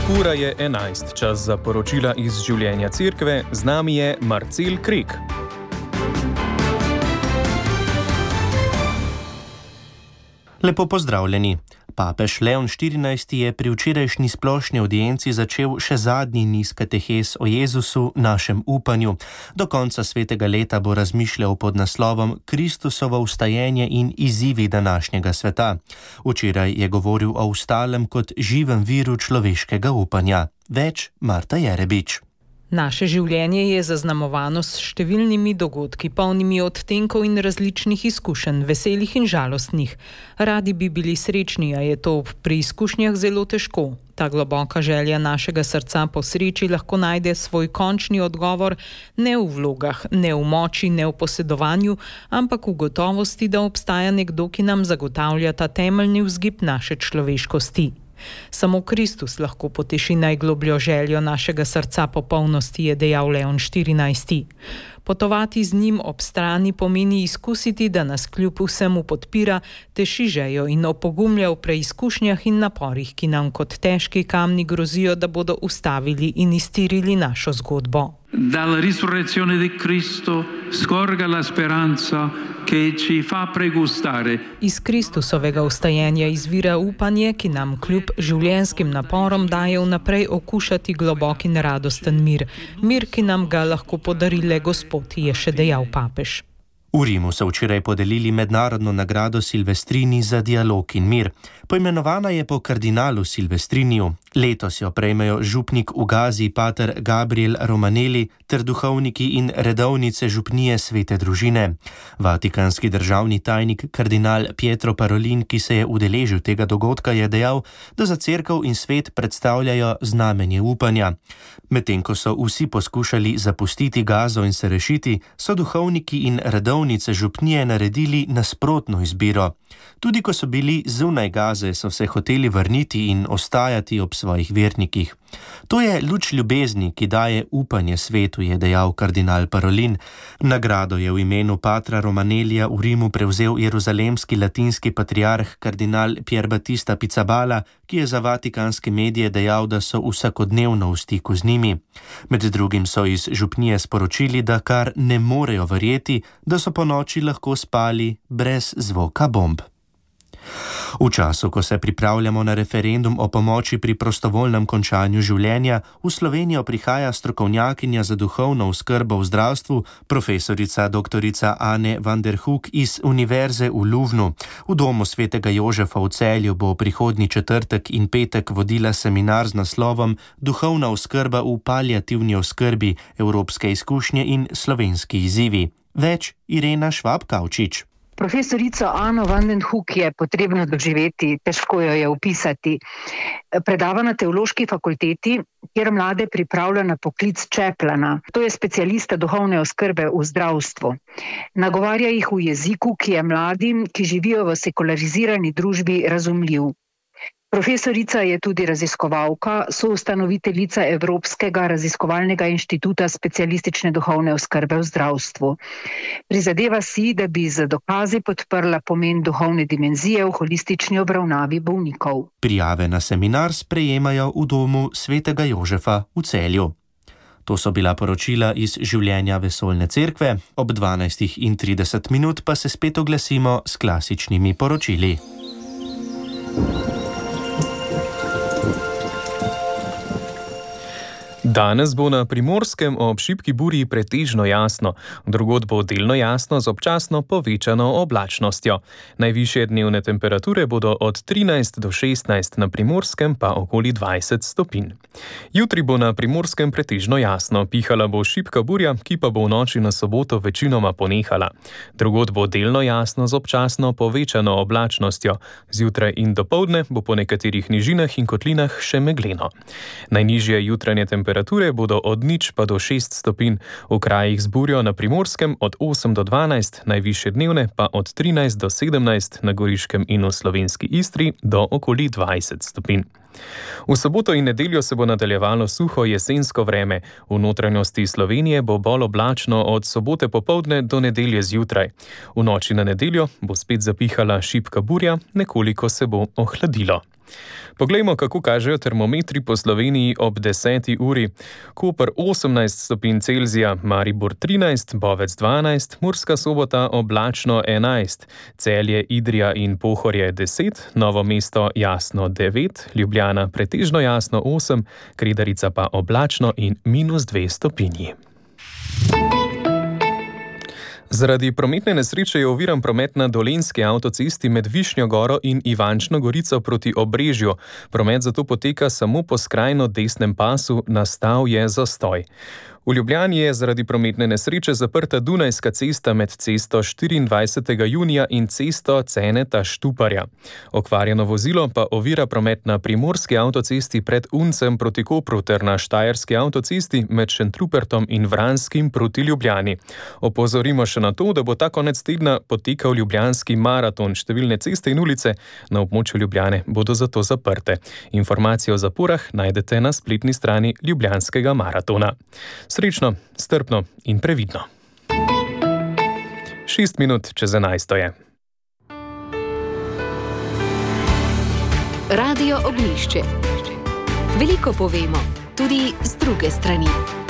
Ura je 11, čas za poročila iz življenja cerkve, z nami je Marcel Krek. Lepo pozdravljeni. Papež Leon XIV je pri včerajšnji splošni audienci začel še zadnji niz katehes o Jezusu, našem upanju. Do konca svetega leta bo razmišljal pod naslovom Kristusovo vstajenje in izzivi današnjega sveta. Včeraj je govoril o vstalem kot živem viru človeškega upanja. Več Marta Jerebič. Naše življenje je zaznamovano s številnimi dogodki, polnimi odtenkov in različnih izkušenj, veselih in žalostnih. Radi bi bili srečni, a je to pri izkušnjah zelo težko. Ta globoka želja našega srca po sreči lahko najde svoj končni odgovor ne v vlogah, ne v moči, ne v posedovanju, ampak v gotovosti, da obstaja nekdo, ki nam zagotavlja ta temeljni vzgib naše človeškosti. Samo Kristus lahko poteši najglobljo željo našega srca po polnosti, je dejal Leon XIV. Potovati z njim ob strani pomeni izkusiti, da nas kljub vsemu podpira, teši željo in opogumlja v preizkušnjah in naporih, ki nam kot težki kamni grozijo, da bodo ustavili in iztirili našo zgodbo. Dalla risurrezione di Cristo scorga la speranza che ci fa pregustare. Iz Kristusovega vstajenja izvira upanje, ki nam kljub življenjskim naporom daje vnaprej okušati globok in radosten mir. Mir, ki nam ga lahko podari le Gospod, je še dejal papež. V Rimu so včeraj podelili mednarodno nagrado Silvestrini za dialog in mir. Poimenovana je po kardinalu Silvestriniju. Letos jo prejmejo župnik v Gazi pater Gabriel Romanelli ter duhovniki in redovnice župnije Svete družine. Vatikanski državni tajnik kardinal Pietro Parolin, ki se je udeležil tega dogodka, je dejal, da za cerkev in svet predstavljajo znamenje upanja. Medtem ko so vsi poskušali zapustiti Gazo in se rešiti, so duhovniki in redovnice župnije naredili nasprotno izbiro. Tudi ko so bili zunaj Gaze, so se hoteli vrniti in ostajati ob svojih vernikih. To je luč ljubezni, ki daje upanje svetu, je dejal kardinal Parolin. Nagrado je v imenu patra Romanellija v Rimu prevzel jeruzalemski latinski patriarh kardinal Pier Battista Pizzaballa, ki je za vatikanske medije dejal, da so vsakodnevno v stiku z njimi. Med drugim so iz župnije sporočili, da kar ne morejo verjeti, da so ponoči lahko spali brez zvoka bomb. V času, ko se pripravljamo na referendum o pomoči pri prostovoljnem končanju življenja, v Slovenijo prihaja strokovnjakinja za duhovno oskrbo v zdravstvu, profesorica dr. Ane van der Hoek iz Univerze v Luvnu. V domu svetega Jožefa v Celju bo prihodnji četrtek in petek vodila seminar z naslovom Duhovna oskrba v paliativni oskrbi, evropske izkušnje in slovenski izzivi. Več Irena Švab-Kavčič. Profesorico Ano van den Hoek je potrebno doživeti, težko jo je opisati. Predava na teološki fakulteti, kjer mlade pripravlja na poklic čeplana. To je specialista duhovne oskrbe v zdravstvu. Nagovarja jih v jeziku, ki je mladim, ki živijo v sekularizirani družbi, razumljiv. Profesorica je tudi raziskovalka, soustanoviteljica Evropskega raziskovalnega inštituta specialistične duhovne oskrbe v zdravstvu. Prizadeva si, da bi z dokazi podprla pomen duhovne dimenzije v holistični obravnavi bolnikov. Prijave na seminar sprejemajo v domu svetega Jožefa v Celju. To so bila poročila iz življenja vesoljne cerkve. Ob 12:30 pa se spet oglasimo s klasičnimi poročili. Danes bo na Primorskem ob šibki burji pretežno jasno, drugod bo delno jasno z občasno povečano oblačnostjo. Najvišje dnevne temperature bodo od 13 do 16, na Primorskem pa okoli 20 stopinj. Jutri bo na Primorskem pretežno jasno, pihala bo šibka burja, ki pa bo v noči na soboto večinoma ponehala. Drugod bo delno jasno z občasno povečano oblačnostjo. Zjutraj in dopoldne bo po nekaterih nižinah in kotlinah še megleno. Najnižje jutranje temperature bodo od 0 pa do 6 stopinj, v krajih z burjo na Primorskem od 8 do 12, najvišje dnevne pa od 13 do 17, na Goriškem in v slovenski Istri do okoli 20 stopinj. V soboto in nedeljo se bo nadaljevalo suho jesensko vreme. V notranjosti Slovenije bo bolj oblačno od sobote popoldne do nedelje zjutraj. V noči na nedeljo bo spet zapihala šibka burja, nekoliko se bo ohladilo. Poglejmo, kako kažejo termometri po Sloveniji ob 10. uri. Koper 18 stopinj Celzija, Maribor 13, Bovec 12, Murska Sobota oblačno 11, Celje, Idrija in Pohorje 10, Novo mesto jasno 9, Ljubljana pretežno jasno 8, Kredarica pa oblačno in -2 stopinji. Zaradi prometne nesreče je oviran promet na Dolenjski avtocesti med Višnjo Goro in Ivančno Gorico proti Obrežju. Promet zato poteka samo po skrajno desnem pasu, nastal je zastoj. V Ljubljani je zaradi prometne nesreče zaprta Dunajska cesta med cesto 24. junija in cesto Ceneta Štuparja. Okvarjeno vozilo pa ovira promet na Primorski avtocesti pred Uncem proti Kopru ter na Štajerski avtocesti med Šentrupertom in Vranskim proti Ljubljani. Opozorimo še na to, da bo ta konec tedna potekal Ljubljanski maraton. Številne ceste in ulice na območju Ljubljane bodo zato zaprte. Informacije o zaporah najdete na spletni strani Ljubljanskega maratona. Srečno, strpno in previdno. 6 minut čez 11 je. Radio Oglišče. Veliko povemo, tudi z druge strani.